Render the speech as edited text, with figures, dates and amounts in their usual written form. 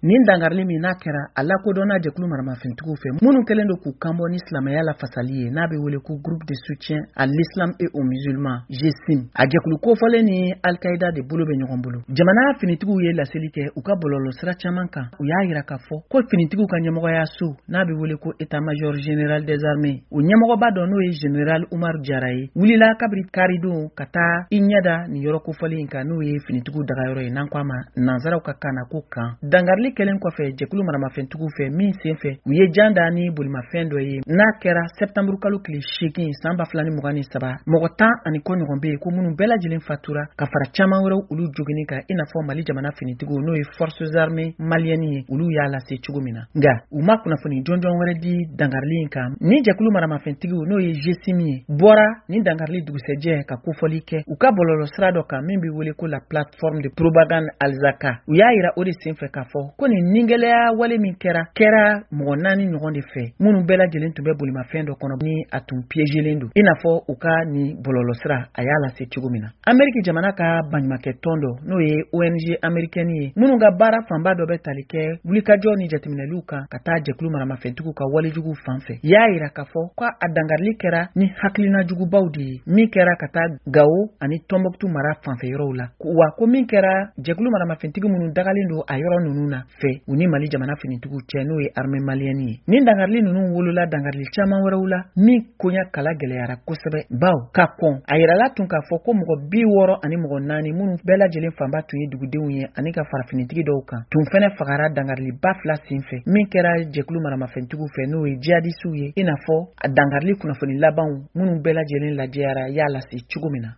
Nin dankarili min n'a kɛra, a lakodɔnna jɛkulu maramafɛntigiw fɛ minnu kɛlen don k'u kanbɔ ni silamɛya la fasali ye, n'a bɛ wele ko Groupe de soutien à l'islam et aux musulmans, GSIM. A jɛkulu kofɔlen ni Al-Qaïda de bolo bɛ ɲɔgɔn bolo. Jamana finitigiw ye laseli kɛ u ka bɔlɔlɔsira caman kan. U y'a yira k'a fɔ ko finitigiw ka ɲɛmɔgɔyaso, n'a bɛ wele ko état-major général des armées, o ɲɛmɔgɔba dɔ, n'o ye général Umaru Jara ye, wulila kabiri karidon ka taa i ɲɛda nin yɔrɔ kofɔlen in kan, n'o ye finitigiw dagayɔrɔ ye, n'an ko a ma nanzaraw ka kan na ko camp. Dankarili kɛlen kɔfɛ jɛkulu maramafɛntigiw fɛ, min sen fɛ u ye jan da ni bolimafɛn dɔ ye, n'a kɛra sɛptanburu kalo tile 8 san 2023, mɔgɔ 10 ani kɔ ɲɔgɔn bɛ yen ko minnu bɛɛ lajɛlen fatura, ka fara caman wɛrɛw olu jogini kan, i n'a fɔ Mali jamana finitigiw, n'o ye Forces armées maliennes ye, olu y'a lase cogo min na. Nka u ma kunnafoni jɔnjɔn wɛrɛ di dankarili in kan. Ni jɛkulu maramafɛntigiw, n'o ye GSIM ye, bɔra ni dankarili dugusɛjɛ ka kofɔli kɛ u ka bɔlɔlɔ sira dɔ kan min bɛ wele ko la plateforme de propagande Alzaka. U y'a yira o de senfɛ k'a fɔ ko nin ningɛlɛya wale min kɛra, kɛra mɔgɔ naani ɲɔgɔn de fɛ, minnu bɛɛ lajɛlen tun bɛ bolimafɛn dɔ kɔnɔ ni a tun piégelen don, i n'a fɔ u ka nin bɔlɔlɔsira a y'a lase cogo min na. Ameriki jamana ka baɲumakɛ tɔn dɔ, n'o ye ONG américaine ye, minnu ka baara fanba dɔ bɛ tali kɛ wulikajɔ ni jateminɛliw kan ka taa jɛkulu maramafɛntigiw ka walejuguw fan fɛ, y'a yira k'a fɔ ko a dankarili kɛra ni hakilina jugubaw de ye min kɛra ka taa Gawo ani Tɔnbɔkutu mara fanfɛ yɔrɔw la, wa ko min kɛra jɛkulu maramafɛntigi minnu dagalen don a yɔrɔ ninnu na fɛ, u ni Mali jamana finitigiw cɛ, n'o ye armée malienne ye. Nin dankarili ninnu wolola dankarili caman wɛrɛw la min koɲa kala gɛlɛyara kosɛbɛ, baw ka kɔn a yirala tun k'a fɔ ko mɔgɔ 64 minnu bɛɛ lajɛlen fanba tun ye dugudenw ye ani ka fara finitigi dɔw kan, tun fɛnɛ fagara dankariliba fila sen fɛ min kɛra jɛkulu maramafɛntigiw fɛ, n'o ye jihadisiw ye, i n'a fɔ a dankarili kunnafoni labanw minnu bɛɛ lajɛlen lajɛyara y'a lase cogo min na.